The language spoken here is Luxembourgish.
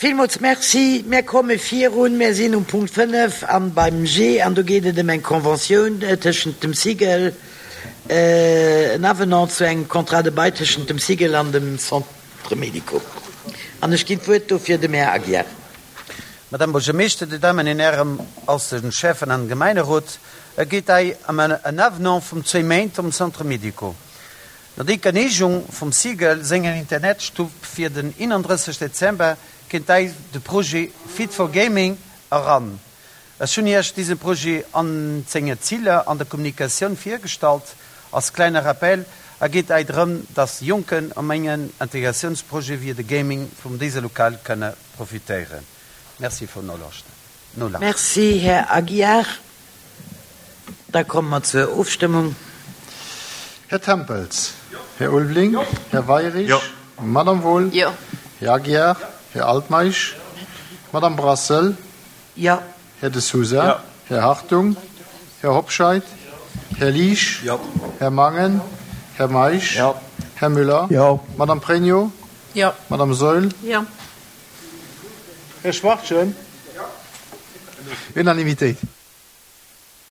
Villmools Merci. Mir komme virun. Mir sinn um Punkt 5 an beim G an do geet et ëm eng Conventioun tëschent dem SIGEL, en Avenant zu engem Contrat de bail tëschent dem SIGEL an dem Centre médico. An ech ginn d'Wuert dofir dem Här Aguiar. Madame Buergermeeschter, Dir Dammen an Hären, als de Schäffen an Gemeinerot, et geet hei ëm en Avenant vum zwéi Méint um Centre médico. No der Geneegung vum SIGEL sengen Internetstuff fir den 31 Dezember kéint dei de Projet Fit for Gaming eran. Ech hunn Iech disen Projet an senge Ziler an der Kommunikatioun virgestallt. Als kleine Rappel, a geet ei drëm, dass Jonken um engen Integratiounsprojet wéi de Gaming vum dise Lokal kënne profitéieren. Merci vum Nolauschten. Merci, Här Aguiar. Da komme mer zur Ofstëmmung. Här Tempels. Här Ulveling. Här Weirich. Madame Wohl. Här Aguiar. Här Altmeisch. Madame Brassel. Här De Sousa. Här Hartung. Här Hobscheit. Här Liesch. Här Mangen. Här Meisch. Här Müller. Madame Pregno. Madame Saeul. Här Schwachtgen. Unanimitéit.